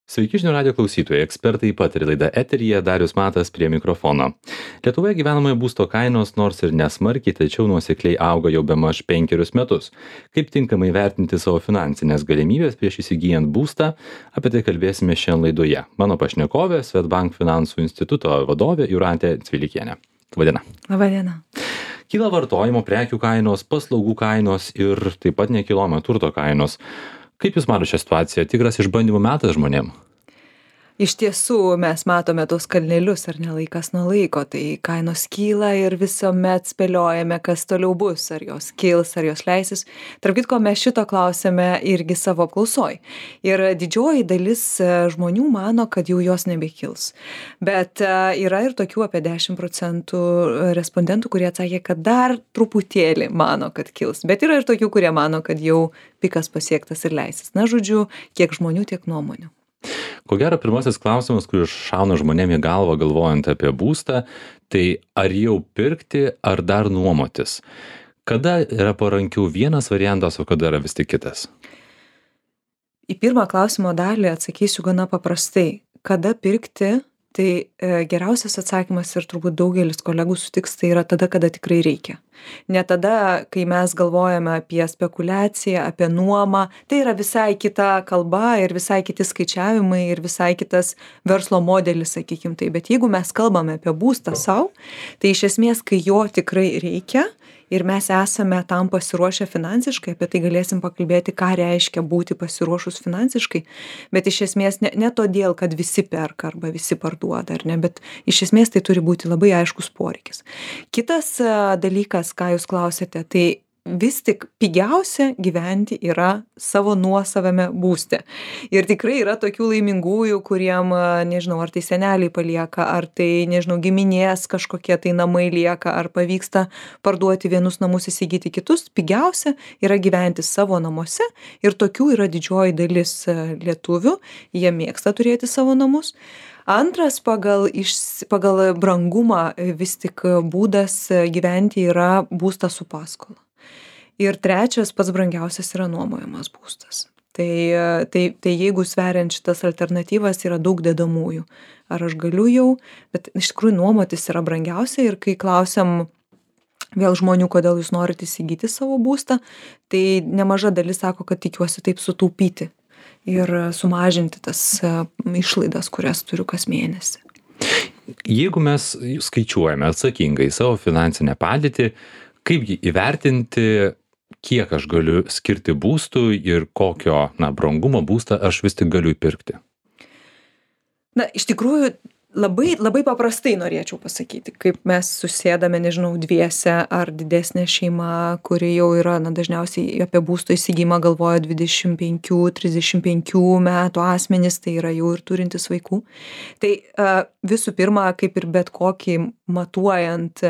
Sveiki žinių radijo klausytojai, ekspertai pataria laida eteryje, Darius Matas prie mikrofono. Lietuvoje gyvenamojo būsto kainos nors ir nesmarkiai, tačiau nuosekliai auga jau bemaž 5 metus. Kaip tinkamai vertinti savo finansinės galimybės prieš įsigijant būstą, apie tai kalbėsime šiandien laidoje. Mano pašnekovė Swedbank finansų instituto vadovė Jūratė Cvilikienė. Labadiena. Labadiena. Kyla vartojimo prekių kainos, paslaugų kainos ir taip pat nekilnojamo turto kainos. Kaip Jūs matote šią situaciją? Tikras išbandymų metas žmonėm? Iš tiesų mes matome tos kalnelius, ar ne, laikas nuo laiko, tai kainos kyla ir visuomet spėliojame, kas toliau bus, ar jos kils, ar jos leisis. Tarp kitko, mes šito klausėme irgi savo apklausoj. Ir didžioji dalis žmonių mano, kad jau jos nebekils. Bet yra ir tokių apie 10% respondentų, kurie atsakė, kad dar truputėlį mano, kad kils. Bet yra ir tokių, kurie mano, kad jau pikas pasiektas ir leisis. Na, žodžiu, kiek žmonių, tiek nuomonių. Ko gero, pirmasis klausimas, kuris šauna žmonėm į galvą galvojant apie būstą, tai ar jau pirkti, ar dar nuomotis? Kada yra parankiau vienas variantas, o kada yra vis tik kitas? Į pirmą klausimo dalį atsakysiu gana paprastai. Kada pirkti? Tai geriausias atsakymas ir turbūt daugelis kolegų sutiks, tai yra tada, kada tikrai reikia. Ne tada, kai mes galvojame apie spekulaciją, apie nuomą, tai yra visai kita kalba ir visai kiti skaičiavimai ir visai kitas verslo modelis, sakykim tai. Bet jeigu mes kalbame apie būstą savo, tai iš esmės, kai jo tikrai reikia, ir mes esame tam pasiruošę finansiškai, apie tai galėsim pakalbėti, ką reiškia būti pasiruošus finansiškai, bet iš esmės ne todėl, kad visi perka arba visi parduoda, ar ne, bet iš esmės tai turi būti labai aiškus poreikis. Kitas dalykas, ką jūs klausėte, tai vis tik pigiausia gyventi yra savo nuosavame būste. Ir tikrai yra tokių laimingųjų, kuriem, nežinau, ar tai seneliai palieka, ar tai, nežinau, giminės kažkokie tai namai lieka, ar pavyksta parduoti vienus namus, įsigyti kitus. Pigiausia yra gyventi savo namuose ir tokių yra didžioji dalis lietuvių. Jie mėgsta turėti savo namus. Antras pagal brangumą vis tik būdas gyventi yra būstas su paskola. Ir trečias pats brangiausias yra nuomojamas būstas. Tai jeigu sveriant šitas alternatyvas yra daug dedamųjų. Ar aš galiu jau, bet iš tikrųjų nuomotis yra brangiausia ir kai klausiam vėl žmonių, kodėl jūs norite įsigyti savo būstą, tai nemaža dalis sako, kad tikiuosi taip sutaupyti ir sumažinti tas išlaidas, kurias turiu kas mėnesį. Jeigu mes skaičiuojame atsakingai savo finansinę padėtį, kaipgi įvertinti, kiek aš galiu skirti būstui ir kokio brangumo būstą aš vis tik galiu įpirkti? Na, iš tikrųjų, labai paprastai norėčiau pasakyti, kaip mes susėdame, nežinau, dviese ar didesnė šeima, kuri jau yra, dažniausiai apie būsto įsigijimą galvoja 25-35 metų asmenys, tai yra jau ir turintis vaikų. Tai visų pirma, kaip ir bet kokį matuojant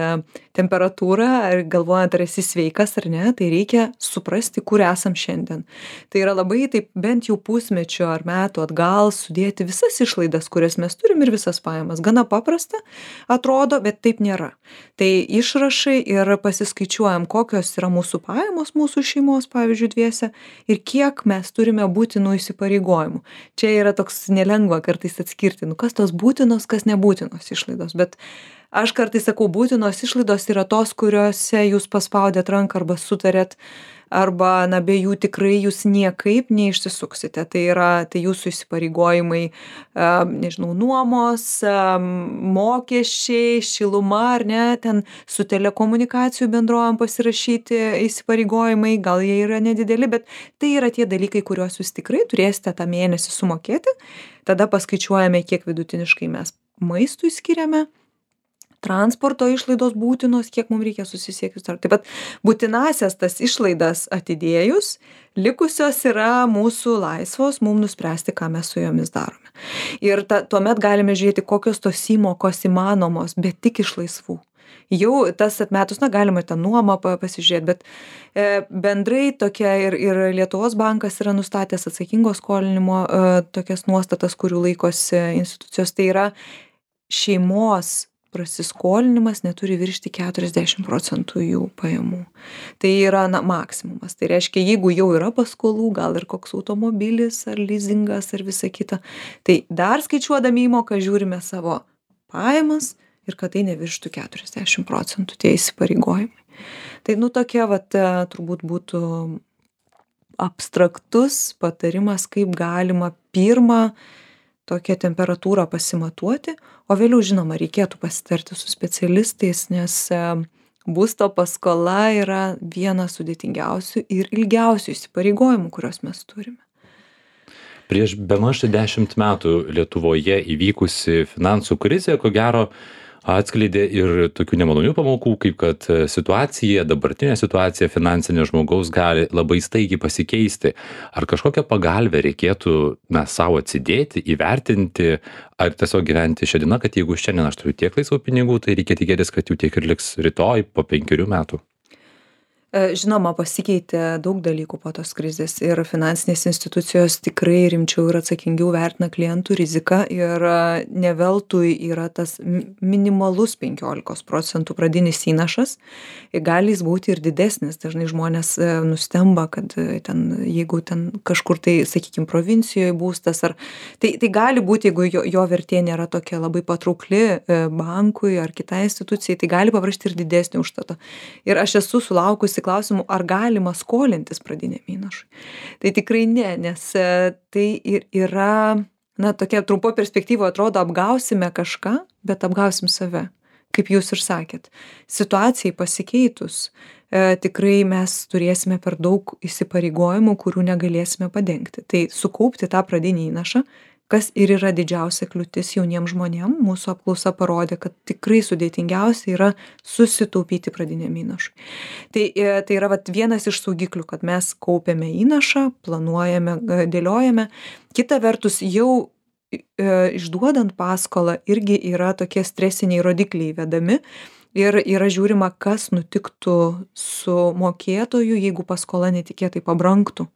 temperatūrą, ar galvojant, ar esi sveikas ar ne, tai reikia suprasti, kur esam šiandien. Tai yra labai taip bent jau pusmečio ar metų atgal sudėti visas išlaidas, kurias mes turim ir visas pajamas. Gana paprasta atrodo, bet taip nėra. Tai išrašai ir pasiskaičiuojam, kokios yra mūsų pajamos, mūsų šeimos, pavyzdžiui, dviese, ir kiek mes turime būtinų įsipareigojimų. Čia yra toks nelengva kartais atskirti, kas tos būtinos, kas nebūtinos išlaidos, bet aš kartais sakau, būtinos išlaidos yra tos, kuriuose jūs paspaudėt ranką arba sutarėt, arba be jų tikrai jūs niekaip neišsisuksite. Tai jūsų įsipareigojimai, nežinau, nuomos, mokesčiai, šiluma ar ne, ten su telekomunikacijų bendrovėm pasirašyti įsipareigojimai, gal jie yra nedideli, bet tai yra tie dalykai, kuriuos jūs tikrai turėsite tą mėnesį sumokėti. Tada paskaičiuojame, kiek vidutiniškai mes maistui skiriame, transporto išlaidos būtinos, kiek mums reikia susisiekti. Taip pat būtinasias tas išlaidas atidėjus, likusios yra mūsų laisvos, mums nuspręsti, ką mes su jomis darome. Ir tuomet galime žiūrėti, kokios tos įmokos įmanomos, bet tik iš laisvų. Jau tas atmetus, galima tą nuomą pasižiūrėti, bet bendrai tokia ir Lietuvos bankas yra nustatęs atsakingo skolinimo tokias nuostatas, kurių laikosi institucijos. Tai yra šeimos prasiskolinimas neturi viršyti 40% jų pajamų. Tai yra maksimumas. Tai reiškia, jeigu jau yra paskolų, gal ir koks automobilis ar leasingas ar visa kita, tai dar skaičiuodami įmoką žiūrime savo pajamas ir kad tai nevirštų 40% tie įsipareigojimai. Tai tokia turbūt būtų abstraktus patarimas, kaip galima pirmą tokią temperatūrą pasimatuoti, o vėliau, žinoma, reikėtų pasitarti su specialistais, nes būsto paskola yra vienas sudėtingiausių ir ilgiausių įsipareigojimų, kuriuos mes turime. Prieš bemaž 10 metų Lietuvoje įvykusi finansų krizė, ko gero, atskleidė ir tokių nemalonių pamokų, kaip kad dabartinė situacija finansinė žmogaus gali labai staigiai pasikeisti. Ar kažkokią pagalbę reikėtų savo atsidėti, įvertinti, ar tiesiog gyventi šią dieną, kad jeigu šiandien aš turiu tiek laisvų pinigų, tai reikia tikėtis, kad jų tiek ir liks rytoj po 5 metų? Žinoma, pasikeitė daug dalykų po tos krizės ir finansinės institucijos tikrai rimčiau ir atsakingiau vertina klientų riziką ir ne veltui yra tas minimalus 15% pradinis įnašas. Gali jis būti ir didesnis. Dažnai žmonės nustemba, kad jeigu kažkur tai, sakykime, provincijoje būstas, tai gali būti, jeigu jo vertė nėra tokia labai patraukli bankui ar kitai institucijai, tai gali paprašyti ir didesnį užstatą. Ir aš esu sulaukusi klausimų, ar galima skolintis pradiniam įnašui. Tai tikrai ne, nes tai ir yra, tokia trumpo perspektyva atrodo, apgausime kažką, bet apgausim save, kaip jūs ir sakėt. Situacijai pasikeitus, tikrai mes turėsime per daug įsipareigojimų, kurių negalėsime padengti. Tai sukaupti tą pradinį įnašą, kas ir yra didžiausia kliūtis jauniems žmonėms, mūsų apklausa parodė, kad tikrai sudėtingiausia yra susitaupyti pradiniam įnašui. Tai yra vienas iš saugiklių, kad mes kaupiame įnašą, planuojame, dėliojame. Kita vertus, jau išduodant paskolą irgi yra tokie stresiniai rodikliai vedami ir yra žiūrima, kas nutiktų su mokėtoju, jeigu paskola netikėtai pabrangtų.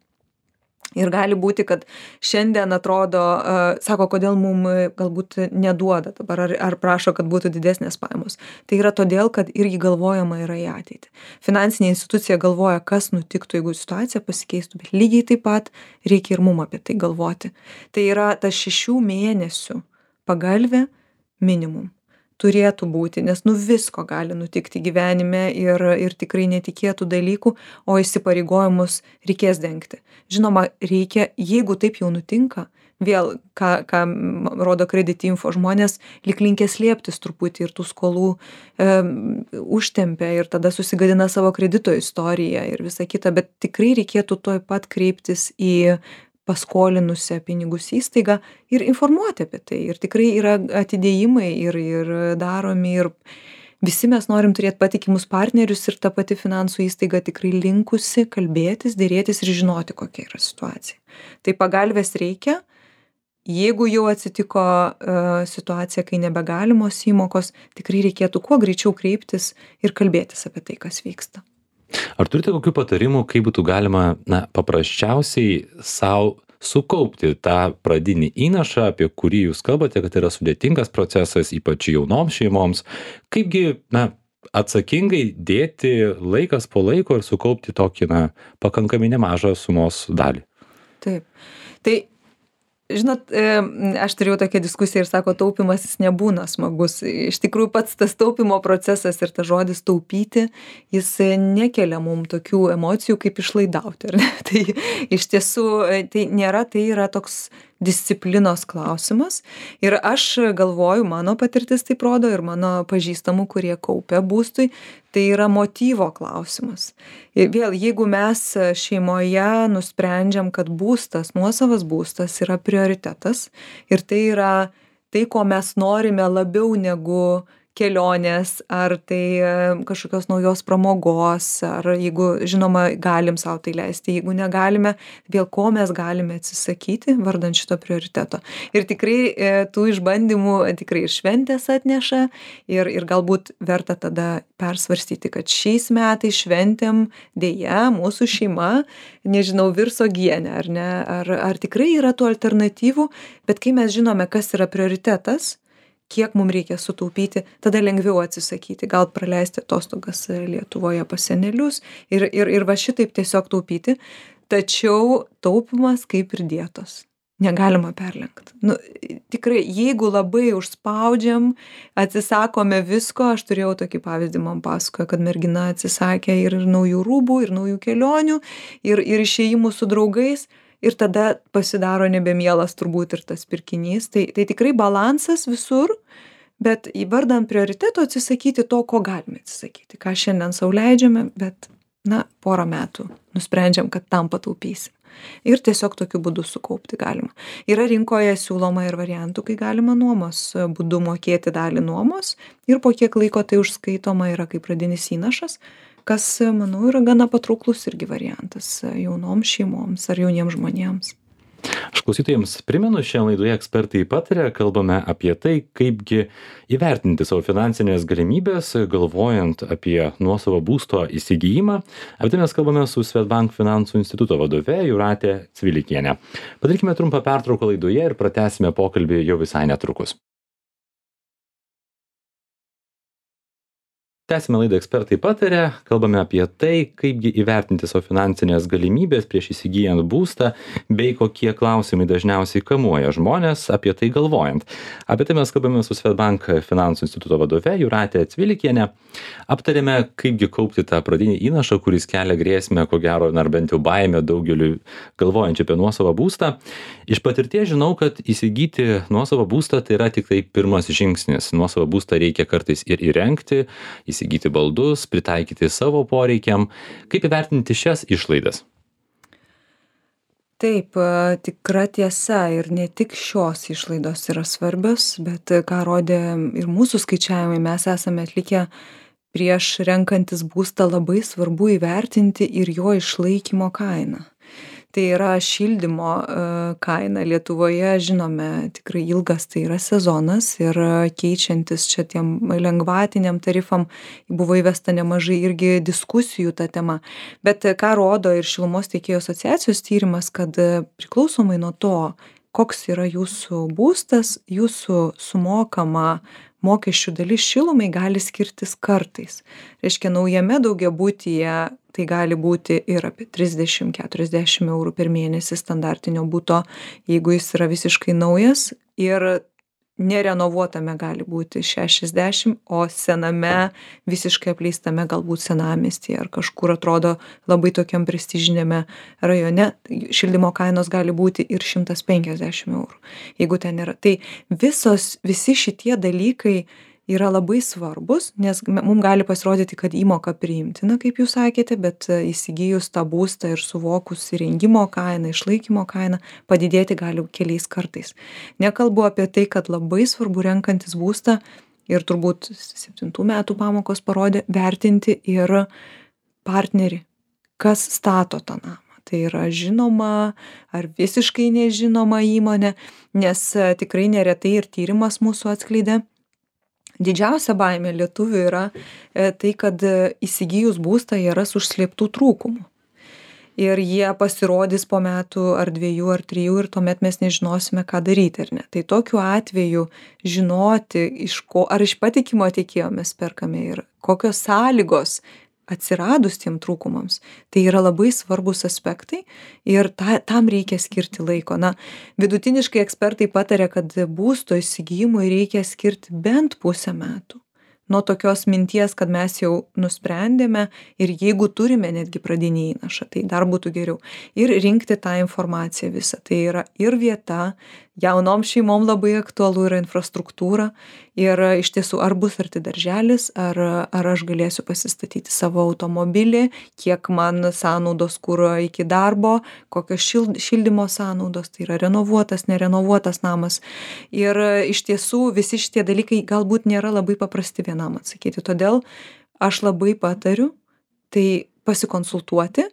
Ir gali būti, kad šiandien atrodo, sako, kodėl mums galbūt neduoda dabar, ar prašo, kad būtų didesnės pajamos. Tai yra todėl, kad irgi galvojama yra į ateitį. Finansinė institucija galvoja, kas nutiktų, jeigu situacija pasikeistų, bet lygiai taip pat reikia ir mums apie tai galvoti. Tai yra tas 6 mėnesių pagalvė minimum. Turėtų būti, nes visko gali nutikti gyvenime ir tikrai netikėtų dalykų, o įsipareigojimus reikės dengti. Žinoma, reikia, jeigu taip jau nutinka, vėl, ką rodo Credit Info, žmonės lyg linkę slėptis truputį ir tų skolų užtempia ir tada susigadina savo kredito istoriją ir visa kita, bet tikrai reikėtų tuoj pat kreiptis į paskolinusią pinigus įstaigą ir informuoti apie tai. Ir tikrai yra atidėjimai ir daromi ir visi mes norim turėti patikimus partnerius ir ta pati finansų įstaiga tikrai linkusi kalbėtis, dėrėtis ir žinoti, kokia yra situacija. Tai pagalbės reikia. Jeigu jau atsitiko situacija, kai nebegalimos įmokos, tikrai reikėtų kuo greičiau kreiptis ir kalbėtis apie tai, kas vyksta. Ar turite kokių patarimų, kaip būtų galima paprasčiausiai savo sukaupti tą pradinį įnašą, apie kurį jūs kalbate, kad yra sudėtingas procesas, ypač jaunoms šeimoms, kaipgi atsakingai dėti laikas po laiko ir sukaupti tokį pakankamai nemažą sumos dalį? Taip. Tai žinot, aš turėjau tokią diskusiją ir sako, taupimas jis nebūna smagus. Iš tikrųjų, pats tas taupimo procesas ir tas žodis taupyti, jis nekelia mums tokių emocijų kaip išlaidauti. Tai iš tiesų, tai yra toks disciplinos klausimas. Ir aš galvoju, mano patirtis taip rodo ir mano pažįstamų, kurie kaupia būstui, tai yra motyvo klausimas. Ir vėl, jeigu mes šeimoje nusprendžiam, kad būstas, nuosavas būstas yra prioritetas ir tai yra tai, ko mes norime labiau negu kelionės, ar tai kažkokios naujos pramogos, ar jeigu, žinoma, galim savo tai leisti, jeigu negalime, vėl ko mes galime atsisakyti vardant šito prioriteto. Ir tikrai tų išbandymų tikrai ir šventės atneša ir galbūt verta tada persvarstyti, kad šiais metais šventėm dėja mūsų šeima, nežinau, virs uogienę, ar ne, ar tikrai yra tų alternatyvų, bet kai mes žinome, kas yra prioritetas, kiek mum reikia sutaupyti, tada lengviau atsisakyti, gal praleisti atostogas Lietuvoje pas senelius ir va šitaip tiesiog taupyti. Tačiau taupimas kaip ir dietos. Negalima perlenkt. Nu, tikrai, jeigu labai užspaudžiam, atsisakome visko, aš turėjau tokį pavyzdį, man pasakojo, kad mergina atsisakė ir naujų rūbų, ir naujų kelionių, ir išėjimų su draugais, ir tada pasidaro nebemielas turbūt ir tas pirkinys. Tai tikrai balansas visur, bet įvardant prioriteto atsisakyti to, ko galime atsisakyti. Ką šiandien sau leidžiame, bet, porą metų nusprendžiam, kad tam pataupysim. Ir tiesiog tokiu būdu sukaupti galima. Yra rinkoje siūloma ir variantų, kai galima nuomos būdu mokėti dalį nuomos ir po kiek laiko tai užskaitoma yra kaip pradinis įnašas, kas, manau, yra gana patrauklus irgi variantas jaunoms šeimoms ar jauniems žmonėms. Aš klausytojams primenu, šią laidoje ekspertai pataria, kalbame apie tai, kaipgi įvertinti savo finansinės galimybės, galvojant apie nuosavo būsto įsigijimą. Apie tai mes kalbame su Swedbank finansų instituto vadove Jūrate Cvilikiene. Padarykime trumpą pertrauką laidoje ir pratęsime pokalbį jau visai netrukus. Tęsime laidą ekspertai pataria, kalbame apie tai, kaipgi įvertinti savo finansinės galimybės prieš įsigijant būstą, bei kokie klausimai dažniausiai kamuoja žmonės apie tai galvojant. Apie tai mes kalbame su Swedbank finansų instituto vadove Jūrate Cvilikiene. Aptarėme, kaipgi kaupti tą pradinį įnašą, kuris kelia grėsmę, ko gero, ar bent jau baimę daugeliui galvojančių apie nuosavą būstą. Iš patirties žinau, kad įsigyti nuosavą būstą tai yra tik tai pirmas žingsnis. Nuosavą būstą reikia kartais ir įrengti, įsigyti baldus, pritaikyti savo poreikiam. Kaip įvertinti šias išlaidas? Taip, tikra tiesa ir ne tik šios išlaidos yra svarbios, bet ką rodė ir mūsų skaičiavimai, mes esame atlikę prieš renkantis būstą labai svarbu įvertinti ir jo išlaikymo kainą. Tai yra šildymo kaina. Lietuvoje, žinome, tikrai ilgas tai yra sezonas ir keičiantis čia tiem lengvatiniam tarifam buvo įvesta nemažai irgi diskusijų ta tema. Bet ką rodo ir Šilumos tiekėjų asociacijos tyrimas, kad priklausomai nuo to, koks yra jūsų būstas, jūsų sumokama mokesčių dalis šilumai gali skirtis kartais. Reiškia, naujame daugiabutyje tai gali būti ir apie 30-40 eurų per mėnesį standartinio buto, jeigu jis yra visiškai naujas, ir nerenovuotame gali būti 60, o sename, visiškai apleistame galbūt senamiestyje ar kažkur atrodo labai tokiam prestižiniame rajone, šildymo kainos gali būti ir 150 eurų, jeigu ten yra. Tai visi šitie dalykai yra labai svarbus, nes mums gali pasirodyti, kad įmoka priimtina, kaip jūs sakėte, bet įsigijus tą būstą ir suvokus įrengimo kainą, išlaikymo kainą, padidėti gali keliais kartais. Nekalbu apie tai, kad labai svarbu renkantis būstą ir turbūt 7 metų pamokos parodė vertinti ir partnerį, kas stato tą namą. Tai yra žinoma ar visiškai nežinoma įmonė, nes tikrai neretai ir tyrimas mūsų atskleidė. Didžiausia baimė lietuvių yra tai, kad įsigijus būstą jie ras užslėptų trūkumų. Ir jie pasirodys po metų ar 2 ar 3 ir tuomet mes nežinosime, ką daryti ar ne. Tai tokiu atveju žinoti, ar iš patikimo tiekėjo mes perkame ir kokios sąlygos atsiradus tiem trūkumams, tai yra labai svarbus aspektai ir tam reikia skirti laiko. Vidutiniškai ekspertai pataria, kad būsto įsigijimui reikia skirti bent pusę metų. Nuo tokios minties, kad mes jau nusprendėme ir jeigu turime netgi pradinį įnašą, tai dar būtų geriau. Ir rinkti tą informaciją visą. Tai yra ir vieta, jaunom šeimom labai aktualu yra infrastruktūra ir iš tiesų ar bus arti darželis, ar aš galėsiu pasistatyti savo automobilį, kiek man sąnaudos kuro iki darbo, kokios šildymo sąnaudos, tai yra renovuotas, nerenovuotas namas. Ir iš tiesų visi šitie dalykai galbūt nėra labai paprasti vienam atsakyti. Todėl aš labai patariu tai pasikonsultuoti.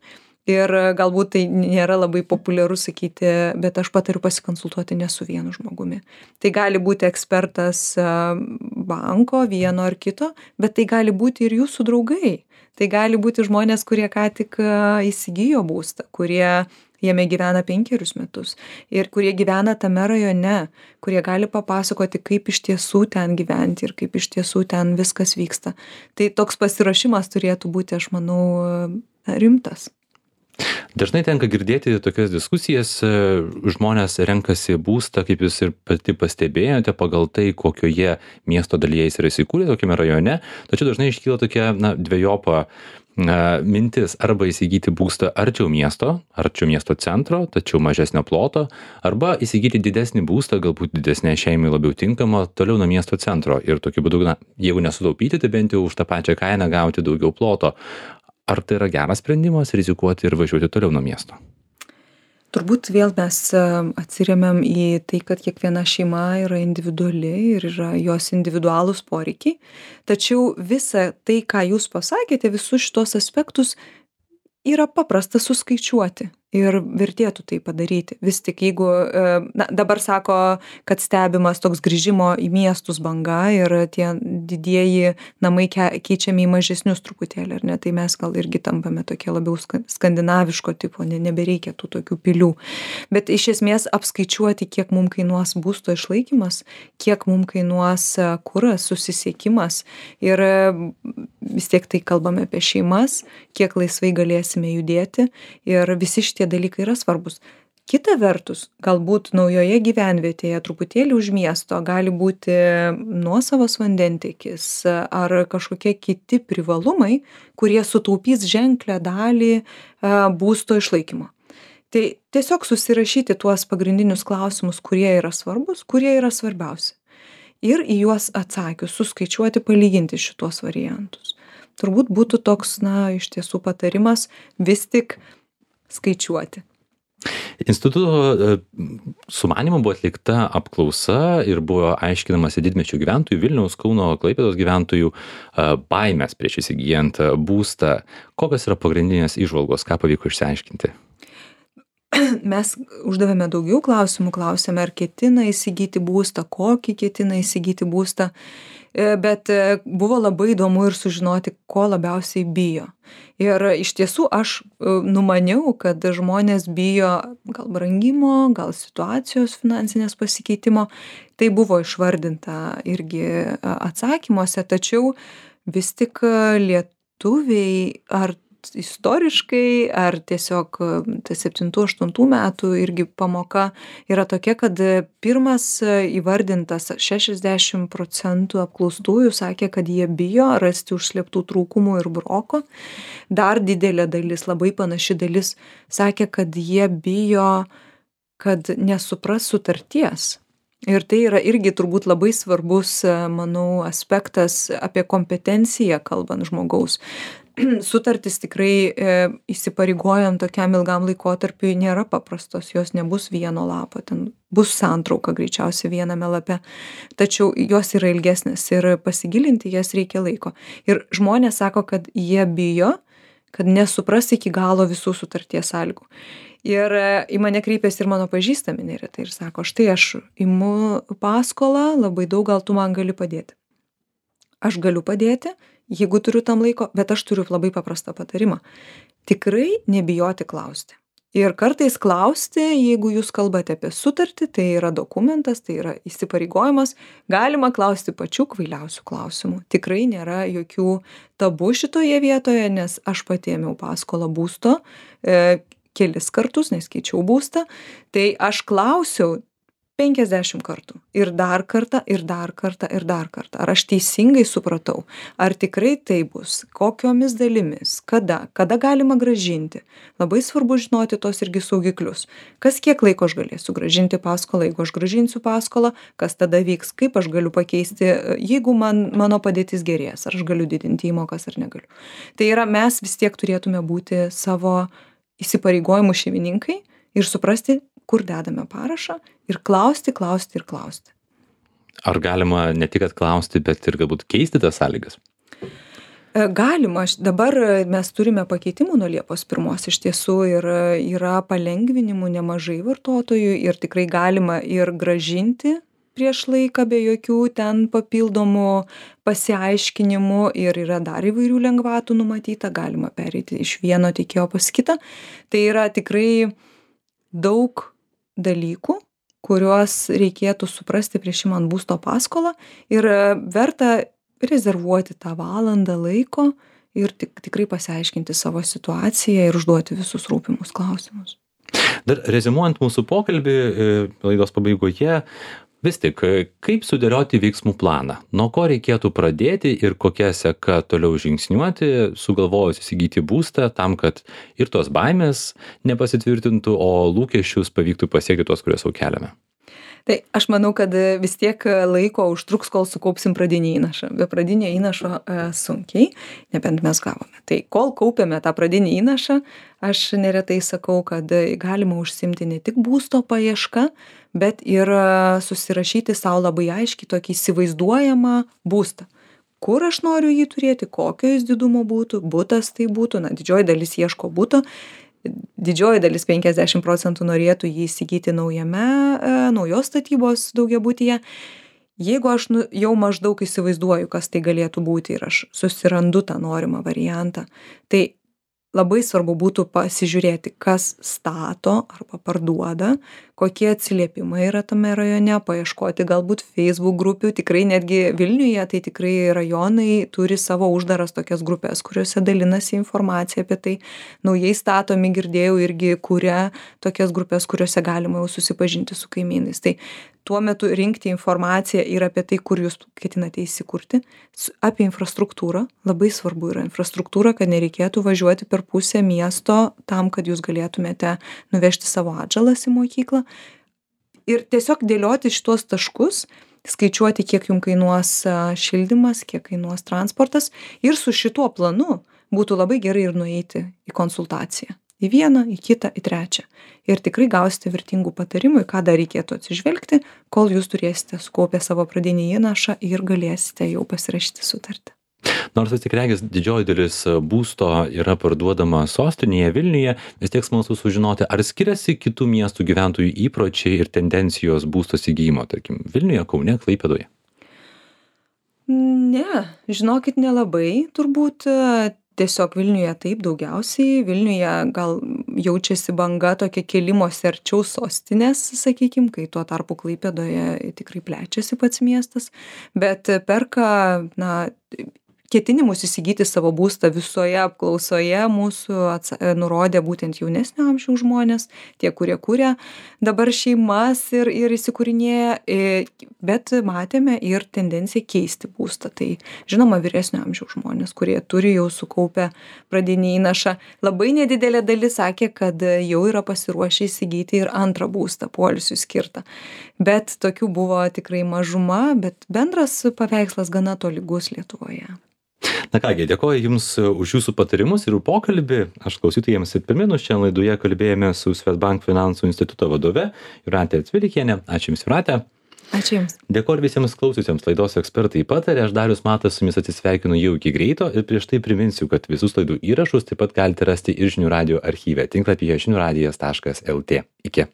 Ir galbūt tai nėra labai populiaru sakyti, bet aš patariu pasikonsultuoti ne su vienu žmogumi. Tai gali būti ekspertas banko, vieno ar kito, bet tai gali būti ir jūsų draugai. Tai gali būti žmonės, kurie ką tik įsigijo būstą, kurie jame gyvena 5 metus ir kurie gyvena tame rajone, kurie gali papasakoti, kaip iš tiesų ten gyventi ir kaip iš tiesų ten viskas vyksta. Tai toks pasiruošimas turėtų būti, aš manau, rimtas. Dažnai tenka girdėti tokias diskusijas, žmonės renkasi būstą, kaip jūs ir pati pastebėjote, pagal tai, kokioje miesto dalyje jis yra įsikūrę, tokiame rajone, tačiau dažnai iškyla tokia dvejopa mintis arba įsigyti būstą arčiau miesto centro, tačiau mažesnio ploto, arba įsigyti didesnį būstą, galbūt didesnė šeimai labiau tinkamą, toliau nuo miesto centro ir tokiu būdu, jeigu nesutaupyti, tai bent jau už tą pačią kainą gauti daugiau ploto. Ar tai yra geras sprendimas rizikuoti ir važiuoti toliau nuo miesto? Turbūt vėl mes atsiremiam į tai, kad kiekviena šeima yra individuali ir yra jos individualūs poreikiai. Tačiau visa tai, ką jūs pasakėte, visus šitos aspektus yra paprasta suskaičiuoti ir vertėtų tai padaryti. Vis tik jeigu, dabar sako, kad stebimas toks grįžimo į miestus banga ir tie didieji namai keičiami į mažesnius truputėlį, ar ne, tai mes gal irgi tampame tokie labiau skandinaviško tipo, nebereikia tų tokių pilių. Bet iš esmės apskaičiuoti, kiek mums kainuos būsto išlaikymas, kiek mums kainuos kuras, susisiekimas ir vis tiek tai kalbame apie šeimas, kiek laisvai galėsime judėti ir visi šitie dalykai yra svarbus. Kita vertus, galbūt naujoje gyvenvietėje truputėlį už miesto gali būti nuosavas vandentiekis ar kažkokie kiti privalumai, kurie sutaupys ženklę dalį būsto išlaikymo. Tai tiesiog susirašyti tuos pagrindinius klausimus, kurie yra svarbus, kurie yra svarbiausi. Ir į juos atsakius, suskaičiuoti, palyginti šitos variantus. Turbūt būtų toks, iš tiesų patarimas vis tik skaičiuoti. Instituto sumanymu buvo atlikta apklausa ir buvo aiškinamasi didmiesčių gyventojų, Vilniaus, Kauno, Klaipėdos gyventojų baimės prieš įsigijant būstą. Kokios yra pagrindinės įžvalgos, ką pavyko išsiaiškinti? Mes uždavėme daugiau klausimų, klausėme, ar ketina įsigyti būstą, kokį ketina įsigyti būstą, bet buvo labai įdomu ir sužinoti, ko labiausiai bijo. Ir iš tiesų aš numaniau, kad žmonės bijo gal brangimo, gal situacijos finansinės pasikeitimo. Tai buvo išvardinta irgi atsakymuose, tačiau vis tik lietuviai ar istoriškai, ar tiesiog 7-8 metų irgi pamoka yra tokia, kad pirmas įvardintas 60% apklaustųjų sakė, kad jie bijo rasti užslėptų trūkumų ir broko. Dar didelė dalis, labai panaši dalis, sakė, kad jie bijo, kad nesupras sutarties. Ir tai yra irgi turbūt labai svarbus, manau, aspektas apie kompetenciją kalbant žmogaus. Sutartis tikrai įsipareigojant tokiam ilgam laikotarpiui nėra paprastos, jos nebus vieno lapo, ten bus santrauka greičiausiai viename lape, tačiau jos yra ilgesnės ir pasigilinti jas reikia laiko. Ir žmonės sako, kad jie bijo, kad nesupras iki galo visų sutarties sąlygų. Ir į mane kreipėsi ir mano pažįstami neretai ir sako, štai aš imu paskolą, labai daug, gal tu man gali padėti. Aš galiu padėti, jeigu turiu tam laiko, bet aš turiu labai paprastą patarimą. Tikrai nebijoti klausti. Ir kartais klausti, jeigu jūs kalbate apie sutartį, tai yra dokumentas, tai yra įsipareigojimas, galima klausti pačių kvailiausių klausimų. Tikrai nėra jokių tabų šitoje vietoje, nes aš pati ėmiau paskolą būsto kelis kartus, nes keičiau būstą, tai aš klausiau 50 kartų. Ir dar kartą, ir dar kartą, ir dar kartą. Ar aš teisingai supratau? Ar tikrai tai bus? Kokiomis dalimis? Kada galima grąžinti? Labai svarbu žinoti tos irgi saugiklius. Kas kiek laiko aš galėsiu grąžinti paskolą, jeigu aš grąžinsiu paskolą, kas tada vyks, kaip aš galiu pakeisti, jeigu mano padėtis gerės, ar aš galiu didinti įmokas ar negaliu. Tai yra, mes vis tiek turėtume būti savo įsipareigojimų šeimininkai ir suprasti, kur dedame parašą ir klausti. Ar galima ne tik klausti, bet ir galbūt keisti tas sąlygas? Galima. Dabar mes turime pakeitimų nuo Liepos 1 iš tiesų ir yra palengvinimų nemažai vartotojų ir tikrai galima ir grąžinti prieš laiką be jokių ten papildomų pasiaiškinimų ir yra dar įvairių lengvatų numatyta, galima pereiti iš vieno tiekėjo pas kitą. Tai yra tikrai daug dalykų, kuriuos reikėtų suprasti prieš imant būsto paskolą ir verta rezervuoti tą valandą laiko ir tikrai pasiaiškinti savo situaciją ir užduoti visus rūpimus klausimus. Dar reziumuojant mūsų pokalbį laidos pabaigoje, vis tik, kaip sudėlioti veiksmų planą? Nuo ko reikėtų pradėti ir kokia seka toliau žingsniuoti, sugalvojus įsigyti būstą tam, kad ir tos baimės nepasitvirtintų, o lūkesčius pavyktų pasiekti tuos, kuriuos jau keliame? Tai aš manau, kad vis tiek laiko užtruks, kol sukaupsim pradinį įnašą. Be pradinio įnašo sunkiai, nebent mes gavome. Tai kol kaupiame tą pradinį įnašą, aš neretai sakau, kad galima užsimti ne tik būsto paiešką, bet ir susirašyti savo labai aiškiai tokį įsivaizduojamą būstą. Kur aš noriu jį turėti, kokio jis didumo būtų, butas tai būtų, didžioji dalis ieško buto. Didžioji dalis 50% norėtų jį įsigyti naujos statybos daugiabutyje. Jeigu aš jau maždaug įsivaizduoju, kas tai galėtų būti ir aš susirandu tą norimą variantą, tai labai svarbu būtų pasižiūrėti, kas stato arba parduoda, kokie atsiliepimai yra tame rajone, paieškoti galbūt Facebook grupių, tikrai netgi Vilniuje, tai tikrai rajonai turi savo uždaras tokias grupės, kuriuose dalinasi informacija apie tai. Naujai statomi, girdėjau, irgi kuria tokias grupės, kuriuose galima jau susipažinti su kaimynais. Tai tuo metu rinkti informaciją ir apie tai, kur jūs ketinate įsikurti, apie infrastruktūrą. Labai svarbu yra infrastruktūra, kad nereikėtų važiuoti per pusę miesto tam, kad jūs galėtumėte nuvežti savo atžalas į mokyklą. Ir tiesiog dėlioti šitos taškus, skaičiuoti, kiek jums kainuos šildymas, kiek kainuos transportas. Ir su šituo planu būtų labai gerai ir nueiti į konsultaciją. Į vieną, į kitą, į trečią. Ir tikrai gausite vertingų patarimų, į ką dar reikėtų atsižvelgti, kol jūs turėsite sukaupę savo pradinį įnašą ir galėsite jau pasirašyti sutartį. Nors vis tik regis didžioji dalis būsto yra parduodama sostinėje Vilniuje, vis tiek smalsu sužinoti, ar skiriasi kitų miestų gyventojų įpročiai ir tendencijos būsto įsigijimo, tarkim, Vilniuje, Kaune, Klaipėdoje? Ne, žinokit, nelabai, turbūt. Tiesiog Vilniuje taip daugiausiai. Vilniuje gal jaučiasi banga tokia kėlimosi arčiau sostinės, sakykim, kai tuo tarpu Klaipėdoje tikrai plečiasi pats miestas. Bet perka, ketinimus įsigyti savo būstą visoje apklausoje mūsų nurodė būtent jaunesnio amžiaus žmonės, tie, kurie kuria dabar šeimas ir įsikūrinėja, bet matėme ir tendenciją keisti būstą. Tai žinoma, vyresnio amžiaus žmonės, kurie turi jau sukaupę pradinį įnašą. Labai nedidelė dalis sakė, kad jau yra pasiruošę įsigyti ir antrą būstą, poilsiui skirtą. Bet tokių buvo tikrai mažuma, bet bendras paveikslas gana tolygus Lietuvoje. Na kągi, dėkoju Jums už Jūsų patarimus ir pokalbį. Aš klausytojams ir primenu, šiandien laidoje kalbėjome su Swedbank finansų instituto vadove Jūrate Cvilikiene. Ačiū Jums, Jūrate. Ačiū Jums. Dėkoju visiems klausiusiems laidos ekspertai patarė. Aš Darius Matas su Jumis atsisveikinu jau iki greito ir prieš tai priminsiu, kad visus laidų įrašus taip pat galite rasti ir Žinių radijo archyve tinklapyje žiniųradijas.lt. Iki.